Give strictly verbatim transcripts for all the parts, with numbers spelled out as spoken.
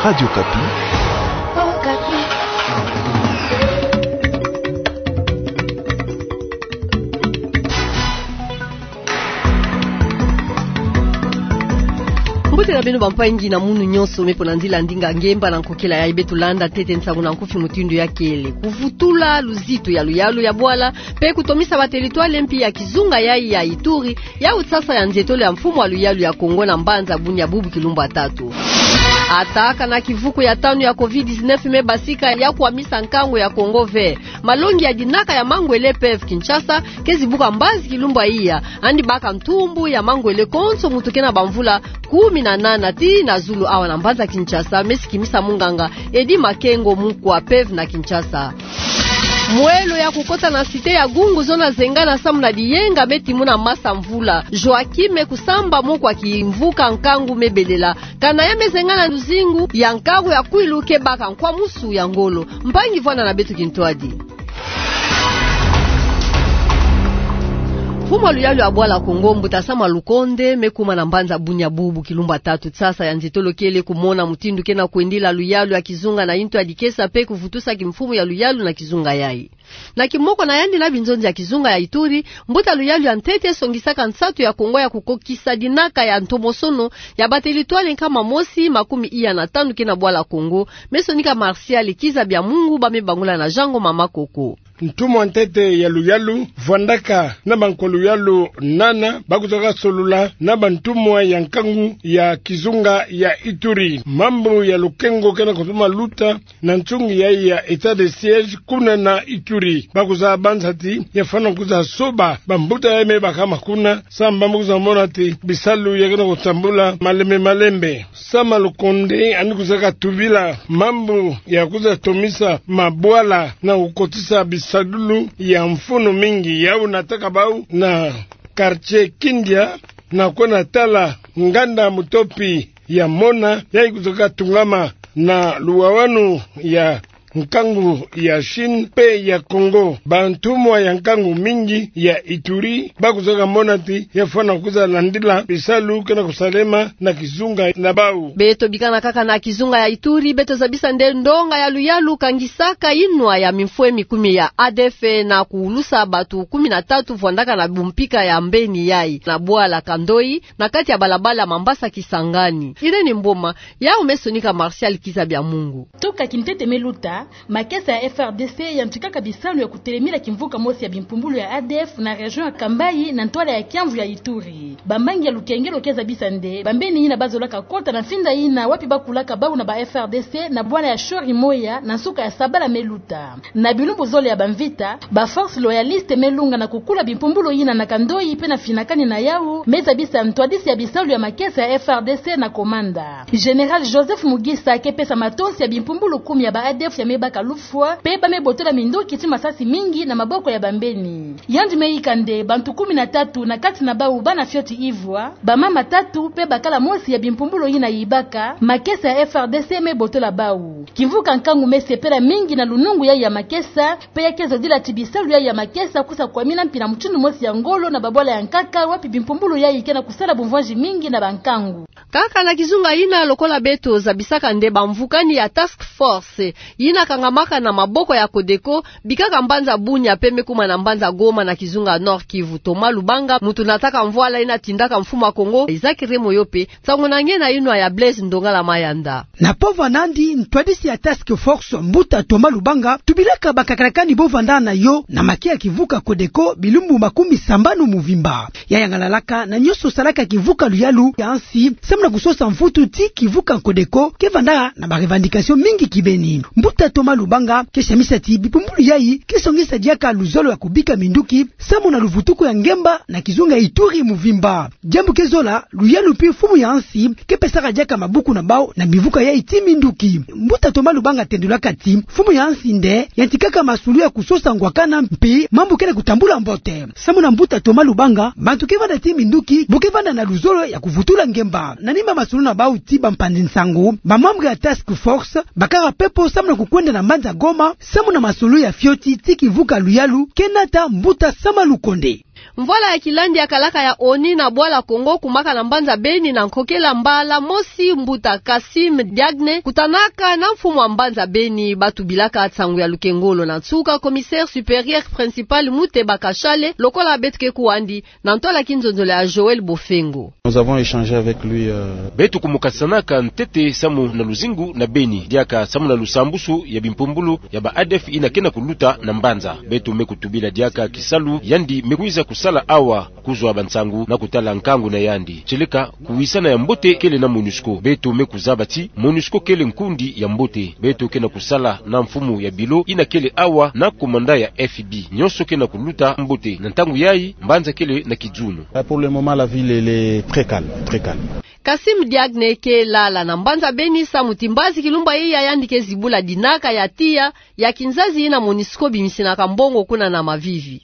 Radio Okapi. Mbote na beno bampangi na munu nyonso me mpo na nzila ndinga ngemba na nkokila yayi beto landa ntete nsangu na nkufi mutindu ya kele. Kuvutula luzitu ya luyalu ya bwala, mpe kutomisa batelitwale mpi ya kizunga yayi ya Ituri, yau tsasa ya nzietolo ya mfumu wa luyalu ya Kongo na mbanza Bunia bubu kilumbu ya tatu. Ata kana kivuku ya tanu ya covid dix-neuf me basika ya kwamisa nkangu ya Congo ve, malongi ya dinaka ya mangwele P E V Kinshasa ke zibuka mbazi kilumbu ya iya, yandi baka ntumbu ya mangwele konso muntu ke na bamvula kumi na nana tii na zulu awa na mbanza Kinshasa, me sikimisa munganga Eddy Makengo, mukwa P E V na Kinshasa. Mwelo ya kukota na cité ya Gungu zona zengana samu na diyenga me timuna masa mvula. Joachim Kusamba, moko wa kimvuka nkangu me belela. Kana ya me zengana luzingu ya nkangu ya Kwilu ke baka nkwamusu ya ngolo. Mpangi, vwanda na beto kintwadi. Mfumu wa luyalu ya bwala Kongo, Mbuta Sama Lukonde, me kuma na mbanza Bunia bubu kilumbu ya tatu tsasa ya nzietolo kele kumona mutindu ke na kwendila luyalu ya kizunga na intu ya dikesa mpe kuvutusa kimfumu ya luyalu na kizunga yayi. Na kimoko na yandi na binzonzi ya kizunga ya Ituri, mbuta luyalu ya ntete songisaka nsatu ya Kongo ya kukokisa dinaka ya ntomosono ya batelitwale nkama mosi makumi iya na tanu ke na bwala Kongo, me sonika Martial Kiza Bya Mungu, ba me bangula na Jango Mama Koko. Ntumwa ntete ya luyalu vwandaka na bankwa luyalu nana ba kuzaka solula na bantumwa ya nkangu ya kizunga ya Ituri mambu ya lukengo ke na kutoma luta na nsungi yayi ya état de siège kuna na Ituri. Ba kuzabâ nsa ti ya fwana kuzasoba bambuta ya me bakama kuna, samu ba me kuzamona ti bisalu ya ke na kutambula malembe malembe. Sama Lukonde yandi kuzaka tubila mambu ya kuzatomisa mabwala na kukotisa bisalulu ya mfunu mingi. Yau nataka bau na quartier Kindia na kwenda tala nganda mutopi ya mona, yayi kuzaka tungama na luwawanu ya nkangu ya Chine mpe ya Kongo. Bantumwa ya nkangu mingi ya Ituri ba kuzaka mona ti ya fwana kuzalandila bisalu ke na kusalema na kizunga na bau. Beto bikana kaka na kizunga ya Ituri, beto zabisa nde ndonga ya luyalu kangisaka inwa ya mimfwe mikumi ya A D F na kuulusa batu kumi na tatu vwandaka na bumpika ya mbeni yayi na bwala Kandoi, na kati ya balabala Mambasa Kisangani. Irène Mboma, yau me sonika Martial Kiza Bya Mungu. Toka kintete me luta, makesa ya F R D C yantikaka bisalu ya kutelemila kimvuka mosi ya bimpumbulu ya A D F na région ya Kambayi na ntwala ya kiamvu ya Ituri. Bambangi ya lukengelo ke zabisa nde bambeni yina ba zolaka kota na mfinda yina wapi ba kulaka bau na ba F R D C na bwala ya Shori Moya na nsuka ya sabala me luta. Na bilumbu zole ya bamvita, ba forces loyalistes me lunga na kukula bimpumbulu yina na Kandoi mpe na finakani na yau, me zabisa ntwadisi ya bisalu ya makesa ya F R D C na komanda. Général Joseph Mugisa ke pesa matonsi ya bimpumbulu kumi ya ba A D F ya me baka lufwa, mpe ba me botola minduki ti masasi mingi na maboko ya bambeni. Yandi me yika nde bantu kumi na tatu, na kati na bau bana fioti ivwa, bamama tatu, mpe bakala mosi ya bimpumbulu yina yibaka, makesa ya F R D C me botola bau. Kimvuka nkangu me sepela mingi na lunungu yayi ya makesa, mpe ya ke zodila ti bisalu yayi ya makesa kusa kwamina mpi na mutindu mosi ya ngolo na babwala ya nkaka wapi bimpumbulu yayi ke na kusala bumvwanzi mingi na bankangu. Kaka na kizunga yina, lokola beto zabisaka nde bamvukani ya task force yina kangamaka na maboko ya Codeco, bikaka mbanza Bunia mpe me kuma na mbanza Goma na kizunga Nord-Kivu, Thomas Lubanga, muntu nataka mvwala yina tindaka mfumu wa Kongo Isaac Remoyo mpe, nsangu na nge na inwa ya Blaise Ndongala Mayanda. Na pova nandi, ntwadisi ya task force, mbuta Thomas Lubanga, tubilaka bakakalakani bo vandana na yo na make ya kivuka Codeco bilumbu makumi sambanu muvimba. Ya yangalalaka na nyonso salaka kivuka luyalu ya nsi, samu na kusosa mvutu ti kivuka Codeco ke vanda na ba revendication mingi kibeni. Mbuta Thomas Lubanga ke samisa ti bipumbulu yayi ke songisa diaka luzolo ya kubika minduki, samu na luvutuku ya ngemba na kizunga Ituri muvimba. Diambu ke zola luyalu mpi mfumu ya nsi ke pesaka diaka mabuku na bau na bivuka yayi ti minduki. Mbuta Thomas Lubanga tendulaka ti mfumu ya nsi nde yantikaka masulu ya kusosa ngwakana mpi mambu ke na kutambula mbote. Samu na mbuta Thomas Lubanga, bantu ke vanda ti minduki bo ke vanda na luzolo ya kuvutula ngemba. Na nima masulu na bau ti bampanzi nsangu, ba membres ya task force bakaka pepo samu na kukwenda na mbanza Goma, samu na masulu ya fioti ti kivuka luyalu ke nata mbuta Sama Lukonde. Mvwala ya kilandi ya kalaka ya ONU na bwala Kongo kumaka na mbanza Beni na nkokela mbala mosi mbuta Kassim Diagne kutanaka na mfumu wa mbanza Beni, ba tubilaka nsangu ya lukengolo na nsuka commissaire supérieur principal Muteba Kashale, lokola beto ke kuwa yandi na ntwala kinzonzolo ya Joël Bofengo. Nous avons échangé avec lui, euh, Beto kumukasanaka ntete samu na luzingu na Beni, diaka samu na lusambusu ya bimpumbulu ya ba ADF ina ke na kuluta na mbanza. Beto me kutubila diaka kisalu yandi me kwiza kusala awa, kuzwa bansangu na kutala nkangu na yandi. Tieleka kuwisana ya mbote kele na MONUSCO. Beto me kuzaba ti MONUSCO kele nkundi ya mbote. Beto ke na kusala na mfumu ya bilo ina kele awa na commandant ya F B. Nyonso ke na kuluta mbote. Na ntangu yayi, mbanza kele na kidzunu. Ah, pour le moment, la ville, elle est très calme, très calme. Kassim Diagne ke lala na mbanza Beni samu ti mbazi kilumbu ya iya yandi ke zibula dinaka ya tiya ya kinzazi ina MONUSCO bimisinaka mbongo kuna na Mavivi.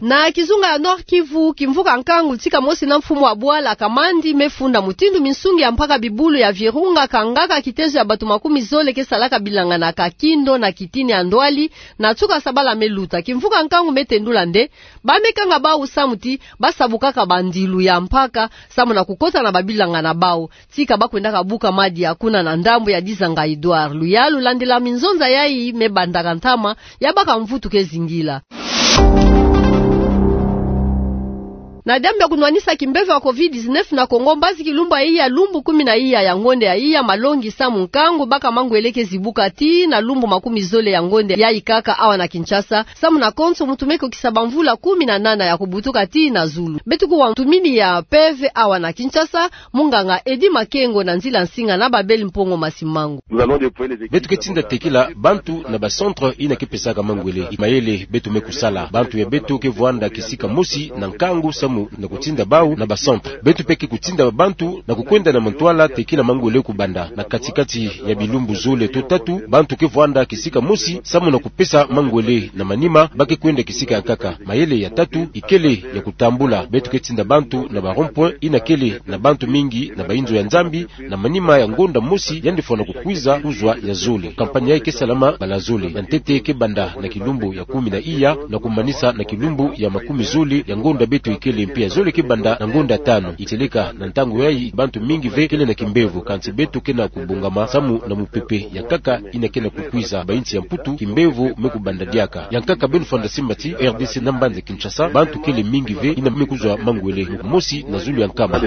Na kizunga ya Nord-Kivu, kimvuka nkangu tika mosi na mfumu wa bwala Kamandi me funda mutindu minsungi ya mpaka bibulu ya Virunga kangaka kitezo ya bato makumi zole ke salaka bilanga na kakindo na kitini ya ndwali, na nsuka sabala me luta. Kimvuka nkangu me tendula nde ba me kanga bawu samu ti ba sabukaka bandilu ya mpaka samu na kukota na babilanga na bawu. Tika ba kwendaka buka madia kuna na ndambu ya Dizanga Edouard. Luyalu landila minzonza yayi me bandaka ntama ya baka mvutu ke zingila. Na diambu ya kunwanisa kimbevo ya covid dix-neuf na Kongo, mbazi kilumbu ya iya, lumbu kumi na iya ya ngonde ya iya, malongi samu nkangu baka mangwele ke zibuka tii na lumbu makumi zole ya ngonde yayi kaka awa na Kinshasa, samu na konso muntu me kukisa bamvula kumi na nana ya kubutuka tii na zulu. Beto kuwa ntumini ya mpeve awa na Kinshasa, munganga Eddy Makengo na nzila nsinga na Babel Mpongo Masimango. Beto ke tinda tekila bantu na ba centre ina ke pesaka mangwele. Mayele beto me kusala. Bantu ya beto ke vwanda kisika mosi na nkangu samu na kutinda bawu na ba centre. Beto mpe ke kutinda bantu na kukwenda na mantwala tekila mangwele kubanda na kati-kati ya bilumbu zole to tatu. Bantu ke vwanda kisika mosi samu na kupesa mangwele, na manima ba ke kwenda kisika ya nkaka. Mayele ya tatu ikele ya kutambula. Beto ke tinda bantu na ba rond-point ina kele na bantu mingi na ba inzo ya Nzambi, na manima ya ngonda mosi yandi fwana kukwiza kuzwa ya zole. Campagne yayi ke salama bala zole. Ya ntete ke banda na kilumbu ya kumi na iya na kumanisa na kilumbu ya makumi zole ya ngonda beto ikele, mpe ya zole ke banda na ngonda tanu. Itieleka na ntangu yayi bantu mingi ve kele na kimbevo, kansi beto ke na kubongama samu na mupepe ya nkaka ina ke na kukwiza. Ba insi ya Mputu kimbevo me kubanda diaka. Ya nkaka beno fanda simba ti R D C na mbanza Kinshasa, bantu kele mingi ve ina me kuzwa mangwele, mosi na zulu ya nkama.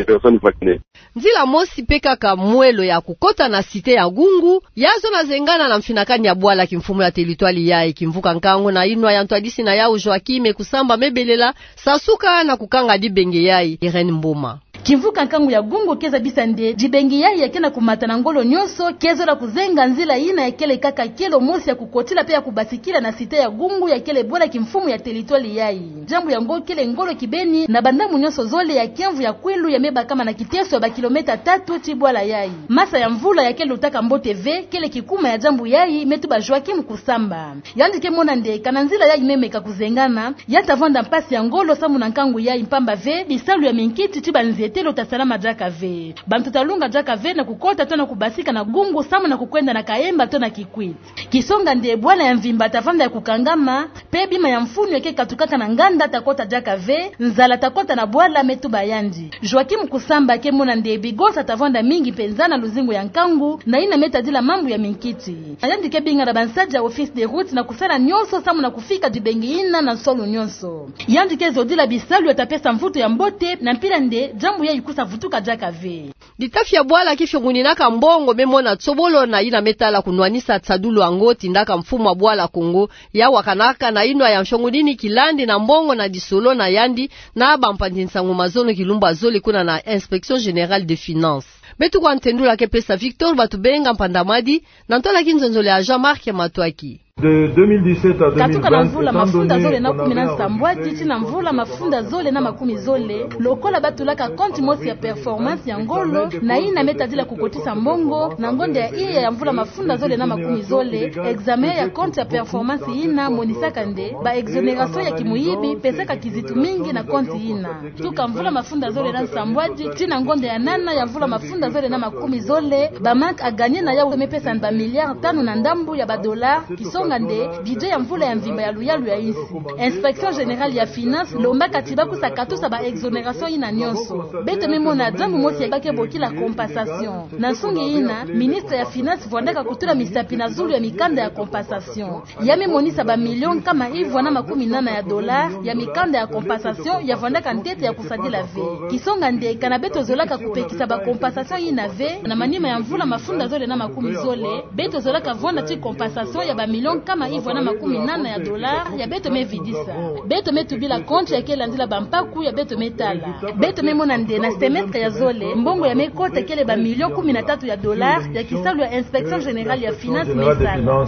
Nzila mosi mpe kaka mwelo ya kukota na cité ya Gungu, ya zona zengana na mfinakani ya bwala kimfumu ya territoire yayi. Kimvuka nkangu na inwa ya ntwadisi na yawu Joachim Kusamba me belela, sasuka na kukanga dibenge yayi. Irène Mboma. Kimvuka nkangu ya Gungu ke zabisa nde dibenge yayi ya ke na kumata na ngolo nyonso, ke zola kuzenga nzila ina ya kele kaka kelo mosi ya kukotila mpe ya kubasikila na cité ya Gungu ya kele bwala kimfumu ya territoire yayi. Diambu yango kele ngolo kibeni na bandambu nyonso zole ya kiamvu ya kwilu ya me bakama na kiteso ya ba kilomètre tatu ti bwala yayi. Masa ya mvula ya ke lutaka mbote ve kele kikuma ya diambu yayi, me tuba Joachim Kusamba. Yandi ke mona nde kana nzila yayi me meka kuzengana, ya ta vwanda mpasi ya ngolo samu na nkangu yayi, mpamba ve bisalu ya minkiti ti banzietelo ta salama diaka ve. Bantu ta lunga diaka ve na kukota to na kubasika na Gungu samu na kukwenda na Kahemba to na Kikwit. Kisonga nde bwala ya mvimba ta vanda ya kukangama, mpe bima ya mfunu ya ke katukaka na nganda ta kota diaka ve, nzala ta kota na bwala, me tuba yandi. Joachim Kusamba ke mona nde bigosa ta vanda mingi mpenza na luzingu ya nkangu, na ina me tadila mambu ya minkiti. Yandi ke binga na bansadi ya Office des Routes na kusala nyonso samu na kufika dibenge ina na nsolo nyonso. Yandi ke zodila bisalu ya ta pesa mvutu ya mbote, na mpila nde diambu yayi kusa vutuka diaka ve. Bitafi ya bwala kifionguninaka mbongo me mona tsobolo na ina me tala kunwanisa nsadulu yango, tindaka mfumu wa bwala Kongo ya wakanaka na inwa ya mfiongunini kilandi na mbongo na disolo na yandi na bampanzi nsangu mazono kilumbu ya zole kuna na Inspection Générale des Finances. Beto kwa ntendula ke pesa Victor Batubenga Mpandamadi, na ntwala kinzonzolo ya Jean-Marc Matwaki. De deux mille dix-sept à deux mille vingt, katuka na mvula mafunda zole na kumi na nsambwadi tii na mvula mafunda zole na makumi zole, lokola ba tulaka compte mosi ya performance ya ngolo, na ina me tadila kukotisa mbongo, na ngonda ya iya ya mvula mafunda zole na makumi zole, examen ya compte ya performance ina monisaka nde ba exonération ya kimuyibi pesaka kizitu mingi na compte ina. Tuka mvula mafunda zole na nsambwadi tii na ngonda ya nana ya mvula mafunda zole na makumi zole, ba manque à gagner na yawu me pesa ba milliards tanu na ndambu ya ba dollars, kiso Songa nde budget ya mvula ya mvimba ya luyalu ya insi, Inspection Générale ya Finances lombaka ti bakusaka tusa ba exonération yina nyonso. Beto me mona diambu mosi ya ba ke bokila compensation. Na nsungi yina, ministre ya Finances vwandaka kutula misapi na zulu ya mikanda ya compensation. Ya me monisa ba millions nkama ivwa na makumi nana ya dollars ya mikanda ya compensation ya vwandaka ntete ya kusadila ve. Kisonga nde kana beto zolaka kupekisa ba compensation yina ve, na manima ya mvula mafunda zole na makumi zole, beto zolaka vwanda ti compensation ya ba millions nkama ivwa na makumi nana ya dollars ya beto me vidisa. Beto me tubila compte ya ke landila ba mpaku ya beto me tala. Beto me mona nde na semestre ya zole, mbongo ya me kota kele ba millions kumi na tatu ya dollars ya kisalu ya Inspection Générale ya Finances me sala.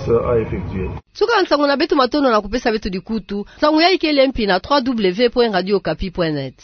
Suka nsangu na beto, matondo na kupesa beto dikutu. Nsangu yayi kele mpi na trois W point radio okapi point net.